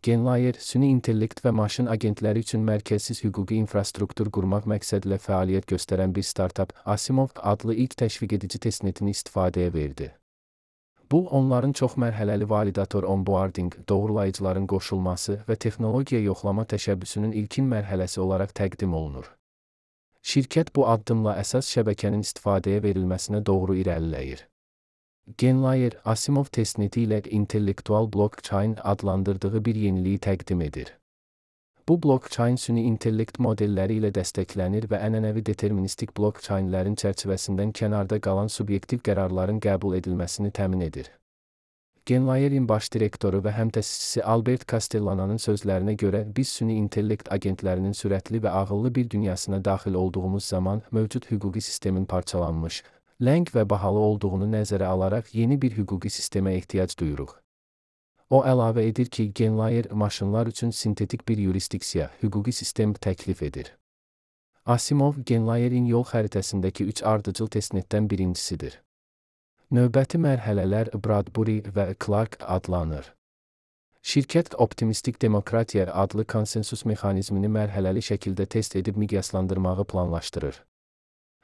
Genlayer, süni intellekt və maşın agentləri üçün mərkəzsiz hüquqi infrastruktur qurmaq məqsədilə fəaliyyət göstərən bir startap Asimov adlı ilk təşviqedici testnetini istifadəyə verdi. Bu, onların çoxmərhələli validator onboarding, doğrulayıcıların qoşulması və texnologiya yoxlama təşəbbüsünün ilkin mərhələsi olaraq təqdim olunur. Şirkət bu addımla əsas şəbəkənin istifadəyə verilməsinə doğru irəliləyir. Genlayer, Asimov testneti ilə intellektual blockchain adlandırdığı bir yeniliyi təqdim edir. Bu blockchain süni intellekt modelləri ilə dəstəklənir və ənənəvi deterministik blockchainlərin çərçivəsindən kənarda qalan subyektiv qərarların qəbul edilməsini təmin edir. Genlayerin baş direktoru və həmtəsisçisi Albert Castellana'nın sözlərinə görə, biz süni intellekt agentlərinin sürətli və ağıllı bir dünyasına daxil olduğumuz zaman mövcud hüquqi sistemin parçalanmış, ləng və bahalı olduğunu nəzərə alaraq yeni bir hüquqi sistemə ehtiyac duyuruq. O əlavə edir ki, Genlayer maşınlar üçün sintetik bir yurisdiksiya, hüquqi sistem təklif edir. Asimov, Genlayerin yol xəritəsindəki 3 ardıcıl testnetdən birincisidir. Növbəti mərhələlər Bradbury və Clark adlanır. Şirkət optimistik demokratiya adlı konsensus mexanizmini mərhələli şəkildə test edib miqyaslandırmağı planlaşdırır.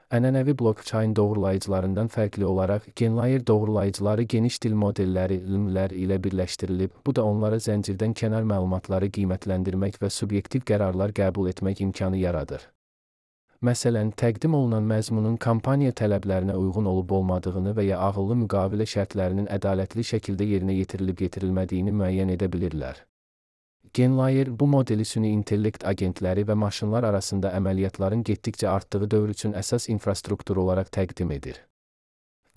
Ənənəvi blockchain doğrulayıcılarından fərqli olaraq, Genlayer doğrulayıcıları geniş dil modelləri (LLM)lər ilə birləşdirilib, bu da onlara zəncirdən kənar məlumatları qiymətləndirmək və subyektiv qərarlar qəbul etmək imkanı yaradır. Məsələn, təqdim olunan məzmunun kampaniya tələblərinə uyğun olub-olmadığını və ya ağıllı müqavilə şərtlərinin ədalətli şəkildə yerinə yetirilib-yetirilmədiyini müəyyən edə bilirlər. Genlayer bu modeli süni intellekt agentləri və maşınlar arasında əməliyyatların getdikcə artdığı dövr üçün əsas infrastruktur olaraq təqdim edir.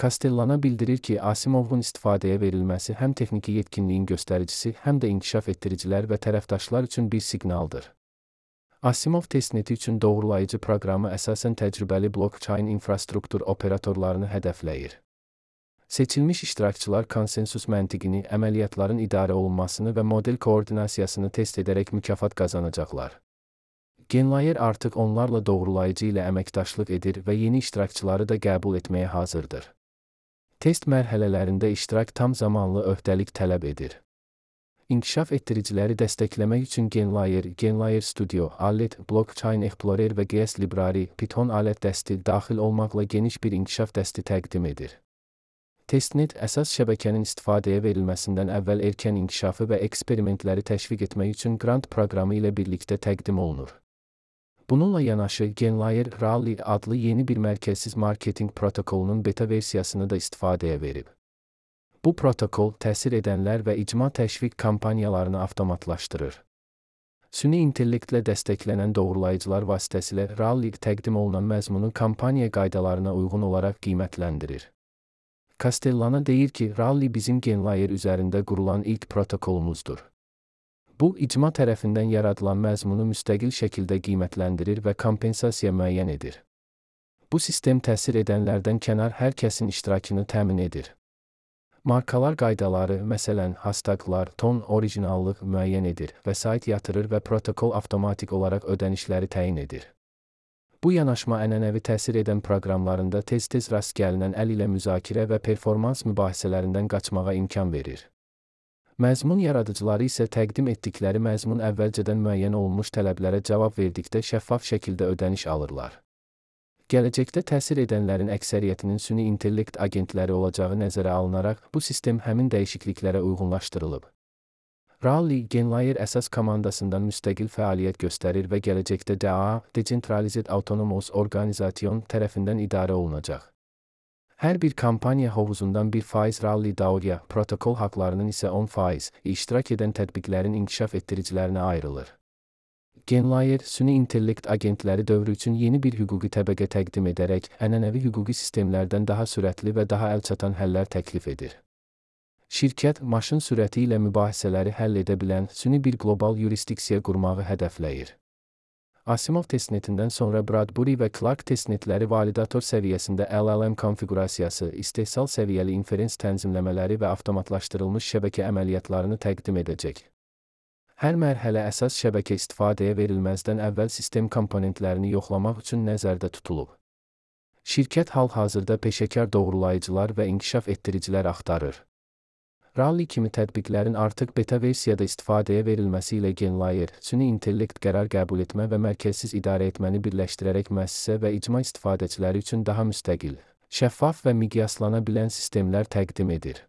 Castellana bildirir ki, Asimovun istifadəyə verilməsi həm texniki yetkinliyin göstəricisi, həm də inkişaf etdiricilər və tərəfdaşlar üçün bir siqnaldır. Asimov testneti üçün doğrulayıcı proqramı əsasən təcrübəli blockchain infrastruktur operatorlarını hədəfləyir. Seçilmiş iştirakçılar konsensus məntiqini, əməliyyatların idarə olunmasını və model koordinasiyasını test edərək mükafat qazanacaqlar. Genlayer artıq onlarla doğrulayıcı ilə əməkdaşlıq edir və yeni iştirakçıları da qəbul etməyə hazırdır. Test mərhələlərində iştirak tam zamanlı öhdəlik tələb edir. İnkişaf etdiriciləri dəstəkləmək üçün Genlayer Studio, Alert, Blockchain Explorer və GS Library, Python alət dəsti daxil olmaqla geniş bir inkişaf dəsti təqdim edir. Testnet əsas şəbəkənin istifadəyə verilməsindən əvvəl erkən inkişafı və eksperimentləri təşviq etmək üçün grant proqramı ilə birlikdə təqdim olunur. Bununla yanaşı, Genlayer Rally adlı yeni bir mərkəzsiz marketinq protokolunun beta versiyasını da istifadəyə verib. Bu protokol təsir edənlər və icma təşviq kampaniyalarını avtomatlaşdırır. Süni intellektlə dəstəklənən doğrulayıcılar vasitəsilə Rally təqdim olunan məzmunu kampaniya qaydalarına uyğun olaraq qiymətləndirir. Castellana deyir ki, Rally bizim Genlayer üzərində qurulan ilk protokolumuzdur. Bu, icma tərəfindən yaradılan məzmunu müstəqil şəkildə qiymətləndirir və kompensasiya müəyyən edir. Bu sistem təsir edənlərdən kənar hər kəsin iştirakını təmin edir. Markalar qaydaları, məsələn, hashtaglar, ton, orijinallıq müəyyən edir, vəsait yatırır və protokol avtomatik olaraq ödənişləri təyin edir. Bu yanaşma ənənəvi təsir edən proqramlarında tez-tez rast gəlinən əl ilə müzakirə və performans mübahisələrindən qaçmağa imkan verir. Məzmun yaradıcıları isə təqdim etdikləri məzmun əvvəlcədən müəyyən olunmuş tələblərə cavab verdikdə şəffaf şəkildə ödəniş alırlar. Gələcəkdə təsir edənlərin əksəriyyətinin süni intellekt agentləri olacağı nəzərə alınaraq, bu sistem həmin dəyişikliklərə uyğunlaşdırılıb. Rally, Genlayer əsas komandasından müstəqil fəaliyyət göstərir və gələcəkdə DAA, Decentralized Autonomous Organization tərəfindən idarə olunacaq. Hər bir kampaniya hovuzundan 1% Rally DAO-ya, protokol haqlarının isə 10% iştirak edən tətbiqlərin inkişaf etdiricilərinə ayrılır. Genlayer, süni intellekt agentləri dövrü üçün yeni bir hüquqi təbəqə təqdim edərək, ənənəvi hüquqi sistemlərdən daha sürətli və daha əlçatan həllər təklif edir. Şirkət, maşın sürəti ilə mübahisələri həll edə bilən süni bir qlobal yurisdiksiya qurmağı hədəfləyir. Asimov testnetindən sonra Bradbury və Clark testnetləri validator səviyyəsində LLM konfiqurasiyası, istehsal səviyyəli inferens tənzimləmələri və avtomatlaşdırılmış şəbəkə əməliyyatlarını təqdim edəcək. Hər mərhələ əsas şəbəkə istifadəyə verilməzdən əvvəl sistem komponentlərini yoxlamaq üçün nəzərdə tutulub. Şirkət hal-hazırda peşəkar doğrulayıcılar və inkişaf etdiricilər axtarır. Rally kimi tətbiqlərin artıq beta versiyada istifadəyə verilməsi ilə GenLayer, süni intellekt qərar qəbul etmə və mərkəzsiz idarə etməni birləşdirərək müəssisə və icma istifadəçiləri üçün daha müstəqil, şəffaf və miqyaslana bilən sistemlər təqdim edir.